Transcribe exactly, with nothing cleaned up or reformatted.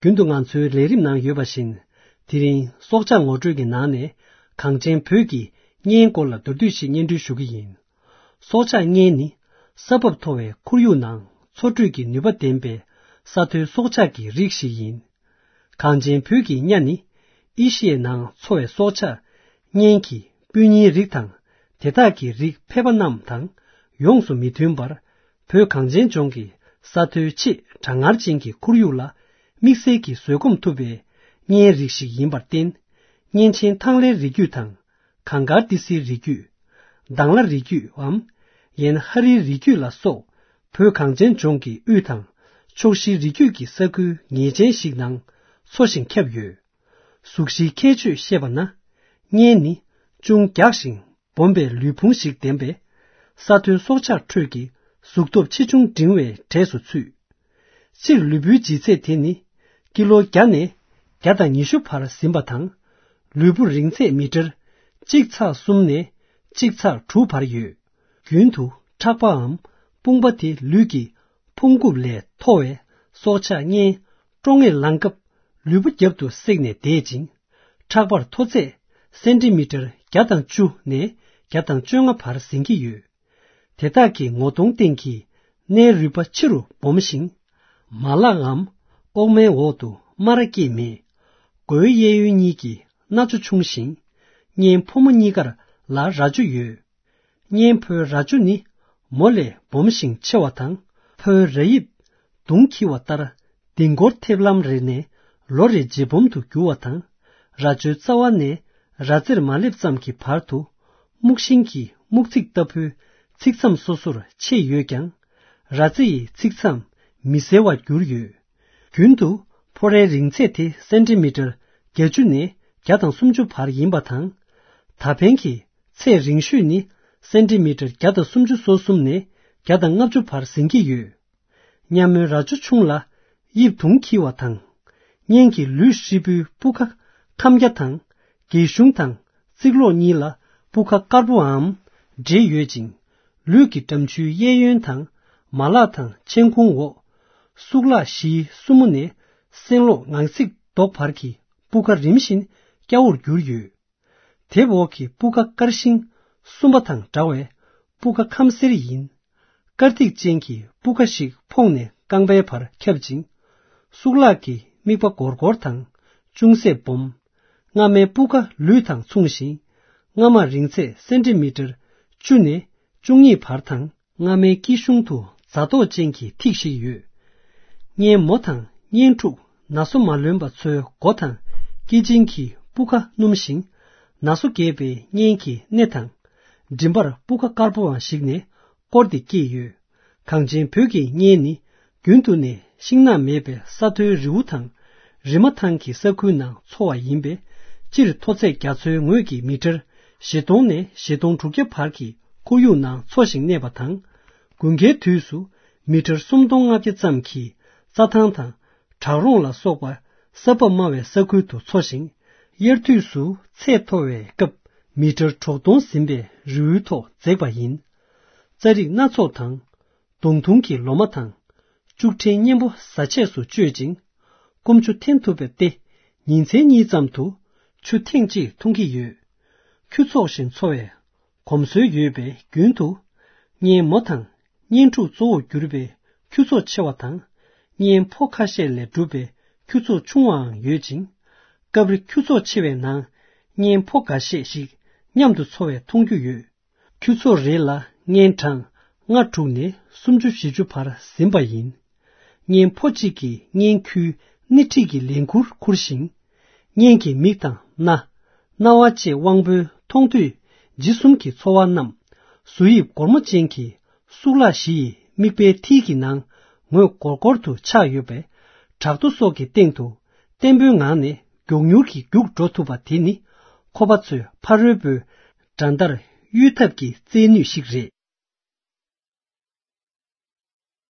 རྒྱུན་དུ་ང་ཚོའི་ལས་རིམ་ནང་ཡོད་པ་བཞིན། དེ་རིང་སྲོག་ཆགས་ངོ་སྤྲོད་ཀྱི་ནང་ནས་གངས་ཅན་བོད་ཀྱི་གཉན་སྐོར་ལ་མདོར་བསྡུས་ཤིག་སྙན་སྒྲོན་ཞུ་གི་ཡིན། སྲོག་ཆགས་གཉན་ནི་ས་བབ་མཐོ་བའི་ཁོར་ཡུག་ནང་འཚོ་སྡོད་ཀྱི་ནུས་པ་ལྡན་པའི་ས་མཐོའི་སྲོག་ཆགས་ཀྱི་རིགས་ཤིག་ཡིན། གངས་ཅན་བོད་ཀྱི་གཉན་ནི་ཨེ་ཤི་ཡའི་ནང་འཚོ་བའི་སྲོག་ཆགས་གཉན་གྱི་སྤུན་ཉེའི་རིགས་དང་། དེ་དག་གི་རིགས་ཕལ་པ་རྣམས་དང་ཡོངས་སུ་མི་མཐུན་པར། བོད་གངས་ཅན་ལྗོངས་ཀྱི་ས་མཐོའི་ཆེས་གྲང་ངར་ཅན་གྱི་ཁོར་ཡུག་ལ་དམིགས་བསལ་གྱིས་བཟོད་སྒོམ་ཐུབ་པའི་གཉན་རིགས་ཤིག་ཡིན་པར་བརྟེན། གཉན་ཆེན་ཐང་ལྷའི་རིགས་རྒྱུད་དང་། གངས་དཀར་ཏི་སེའི་རིགས་རྒྱུད། དྭང་བླངས་རིགས་རྒྱུད་འམ། ཡན་ཧ་རིའི་རིགས་རྒྱུད་ལ་སོགས། བོད་གངས་ཅན་ལྗོངས་ཀྱི་དབུས་དང་ཕྱོགས་བཞིའི་རིགས་རྒྱུད་ཀྱི་ས་ཁུལ་ངེས་ཅན་ཞིག་ནང་འཚོ་ཞིང་ཁྱབ་ཡོད། གཟུགས་གཞིའི་ཁྱད་ཆོས་བཤད་པ་ན། གཉན་ནི་ཅུང་རྒྱགས་ཤིང་སྦོམ་པའི་ལུས་ཕུང་ཞིག་ལྡན་པས། ས་མཐོའི་སྲོག་ཆགས་ཁྲོད་ཀྱི་གཟུགས་སྟོབས་ཆེ་ཆུང་འབྲིང་བའི་གྲས་སུ་ཚུད། སྤྱིར་ལུས་པོའི་ལྗིད་ཚད་དེ་ནི་ཀི་ལོ་བརྒྱ་ནས་བརྒྱ་དང་ཉི་ཤུ་བར་ཟིན་པ་དང་། ལུས་པོ་རིང་ཚད་མི་ཊར་གཅིག་ཚེག་གསུམ་ནས་གཅིག་ཚེག་དྲུག་བར་ཡོད། རྒྱུན་དུ་ཁྲག་པའམ་དཔུང་པ་དེ་ལུས་ཀྱི་ཕུང་རྒྱུད་ལས་མཐོ་བའི་སྲོག་ཆགས་གཉན་ཀྲོང་ངེར་ལངས་སྐབས་ལུས་པོ་རྒྱབ་ཏུ་བསྲེགས་ནས་བསྡད་ཅིང་། ཁྲག་པར་མཐོ་ཚད་སེན་ཊི་མི་ཊར་བརྒྱ་དང་བཅུ་ནས་བརྒྱ་དང་བཅོ་ལྔ་བར་ཟིན་གྱི་ཡོད། དེ་དག་གི་ངོ་གདོང་སྟེང་གི་སྣའི་རུས་པ་ཆེ་རུ་སྦོམ་ཞིང་། མ་ལག་གམ་ཨོག་མའི་འོག་ཏུ་སྨ་ར་སྐྱེས་མེད། མགོའི་གཡས་གཡོན་གཉིས་ཀྱི་སྣ་ཅོ་ཆུང་ཞིང་། གཉན་ཕོ་མོ་གཉིས་ཀར་ལ་རྭ་ཅོ་ཡོད། གཉན་ཕོའི་རྭ་ཅོ་ནི་མོ་ལས་སྦོམ་ཞིང་ཆེ་བ་དང་། ཕོའི་རྭ་དབྱིབས་མདུང་འཁྱིལ་བ་ལྟར་ལྡིང་སྐོར་ཐེབས་ལམ་རེ་ནས་ལོ་རེ་ལྗིད་སྦོམ་དུ་འགྱུར་བ་དང་། རྭ་ཅོའི་རྩ་བ་ནས་རྭ་རྩེར་མ་སླེབས་ཙམ་གྱི་བར་དུ་སྨུག་ཤིང་གི་སྨུག་ཚིགས་ལྟ་བུའི་ཚིགས་མཚམས་སོ་སོར་ཕྱེས་ཡོད་ཀྱང་། རྭ་རྩེ་ཡི་ཚིགས་མཚམས་མི་གསལ་བར་གྱུར་ཡོད། རྒྱུན་དུ་ཕོ་རྭའི་རིང་ཚད་དེ་སེན་ཊི་མི་ཊར་བརྒྱད་ཅུ་ནས་བརྒྱ་དང་སུམ་ཅུ་བར་ཡིན་པ་དང་། ད་ཕན་གྱི་ཚད་རིང་ཤོས་ནི་སེན་ཊི་མི་ཊར་བརྒྱ་དང་སུམ་ཅུ་སོ་གསུམ་ནས་བརྒྱ་དང་ལྔ་བཅུ་བར་ཟིན་གྱི་ཡོད། གཉན་མོའི་རྭ་ཅོ་ཆུང་ལ་དབྱིབས་དུང་འཁྱིལ་བ་དང་། གཉན་གྱི་ལུས་ཧྲིལ་པོའི་སྤུ་ཁ་ཁམ་རྒྱ་དང་། སྒལ་གཞུང་དང་རྩིག་ལོགས་གཉིས་ལ་སྤུ་ཁ་དཀར་པོའམ་འབྲེལ་ཡོད་ཅིང་། ལུས་ཀྱི་འགྲམ་ཆུའི་གཡས་གཡོན་དང་། མ་ལག་དང་མཆན་ཁུང་འོག་གཙུག་ལག་བཞིའི་སྲུ་མོ་ནས་སེན་ལོག་ངང་ཚིགས་རྡོག་བར་གྱི་སྤུ་ཁ་རིམ་བཞིན་སྐྱ་བོར་གྱུར་ཡོད། དེབ་འོག་གི་སྤུ་ཁ་དཀར་ཤིང་གསུམ་པ་དང་འདྲ་བས་སྤུ་ཁ་ཁམ་སེར་ཡིན། དཀར་ཐིག་ཅན་གྱི་སྤུ་ཁ་ཞིག་ཕོག་ནས་རྐང་པའི་བར་ཁྱབ་ཅིང་། གཙུག་ལག་གི་རྨིག་པ་སྒོར་སྒོར་དང་ཅུང་ཟད་སྦོམ། རྔ་མའི་སྤུ་ཁ་ལུས་དང་མཚུངས་ཤིང་། རྔ་མ་རིང་ཚད་སེན་ཊི་མི་ཊར་བཅུ་ནས་བཅུ་གཉིས་བར་དང་། རྔ་མའི་དཀྱིལ་གཞུང་དུ་རྫ་ཐོག་ཅན་གྱི་ཐིག་ཞིག་ཡོད། གཉན་མོ་དང་གཉན་ཕྲུག་ན་སོ་མ་ལོན་པ་ཚོའི་མགོ་དང་སྐེ་ཅན་གྱི་སྤུ་ཁ་སྣུམ་ཞིང་། ན་སོ་རྒས་པའི་གཉན་གྱི་སྣེ་དང་། མགྲིན་པར་སྤུ་ཁ་དཀར་པོའང་ཞིག་ནས་བསྐོར་ཏེ་སྐྱེས་ཡོད། གངས་ཅན་བོད་ཀྱི་གཉན་ནི་རྒྱུན་དུ་ནས་ཤིང་ནགས་མེད་པའི་ས་མཐོའི་རི་བོ་དང་། རི་མ་ཐང་གི་ས་ཁུལ་ནང་འཚོ་བ་ཡིན་པས། སྤྱིར་མཐོ་ཚད་རྒྱ་མཚོའི་ངོས་ཀྱི་མི་ཊར་བཞི་སྟོང་ནས་བཞི་སྟོང་དྲུག་བརྒྱ་བར་གྱི་ཁོར་ཡུག་ནང་འཚོ་ཞིང་གནས་པ་དང་། དགུན་ཁའི་དུས་སུ་མི་ཊར་སུམ་སྟོང་ལྔ་བརྒྱ་ཙམ་གྱི་རྩྭ་ཐང་དང་བྲག་རོང་ལ་སོགས་པ་ས་བབ་དམའ་བའི་ས་ཁུལ་དུ་འཚོ་ཞིང་། དབྱར་དུས་སུ་ཚད་མཐོ་བའི་སྐབས་མི་ཊར་དྲུག་སྟོང་ཟིན་པའི་རི་བོའི་ཐོག་འཛེགས་པ་ཡིན། རྩྭ་རིགས་སྣ་ཚོགས་དང་། མདུང་ཐུང་གི་ལོ་མ་དང་། ལྕུག་ཕྲན་མཉེན་པོ་བཟའ་ཆས་སུ་སྤྱོད་ཅིང་། སྐོམ་ཆུ་འཐེན་ཐུབ་པ་སྟེ། ཉིན་མཚན་གཉིས་ཙམ་དུ་ཆུ་ཐེངས་གཅིག་འཐུང་གི་ཡོད། ཁྱུ་ཚོགས་བཞིན་འཚོ་བའི་གོམས་སྲོལ་ཡོད་པས། རྒྱུན་དུ་གཉན་མོ་དང་གཉན་ཕྲུག་གཙོ་བོར་གྱུར་པའི་ཁྱུ་ཚོགས་ཆེ་བ་དང་། གཉན་ཕོ་ཁ་ཤས་ལས་གྲུབ་པའི་ཁྱུ་ཚོགས་ཆུང་བའང་ཡོད་ཅིང་། སྐབས་རེ་ཁྱུ་ཚོགས་ཆེ་བའི་ནང་གཉན་ཕོ་འགའ་ཤས་ཤིག་མཉམ་དུ་འཚོ་བའི་མཐོང་རྒྱུ་ཡོད། ཁྱུ་ཚོགས་རེ་ལ་གཉན་གྲངས་ལྔ་དྲུག་ནས་སུམ་ཅུ་བཞི་བཅུ་བར་ཟིན་པ་ཡིན། གཉན་ཕོ་གཅིག་གིས་གཉན་ཁྱུའི་སྣེ་ཁྲིད་ཀྱི་ལས་འཁུར་འཁུར་ཞིང་། གཉན་གྱི་མིག་དང་སྣ། རྣ་བ་བཅས་དབང་པོའི་མཐོང་ཐོས་ལྗིད་གསུམ་གྱི་ཚོར་བ་རྣམས། གཟུགས་དབྱིབས་སྒོར་མོ་ཅན་གྱི་གཙུག་ལག་བཞི་ཡི་མིག་དཔེའི་མཐིལ་གྱི་ནང་ངོས་སྒོར་སྒོར་དུ་ཆགས་ཡོད་པས། བྲག་རྡོ་སོགས་ཀྱི་སྟེང་དུ་བརྟན་པོའི་ངང་ནས་མགྱོགས་མྱུར་གྱིས་རྒྱུག་འགྲོ་ཐུབ་པ་དེ་ནི། ཁོ་པ་ཚོས་ཕ་རོལ་པོའི་འགྲན་ཟླར་གཡོལ་ཐབས་ཀྱི་རྩལ་ནུས་ཤིག་རེད།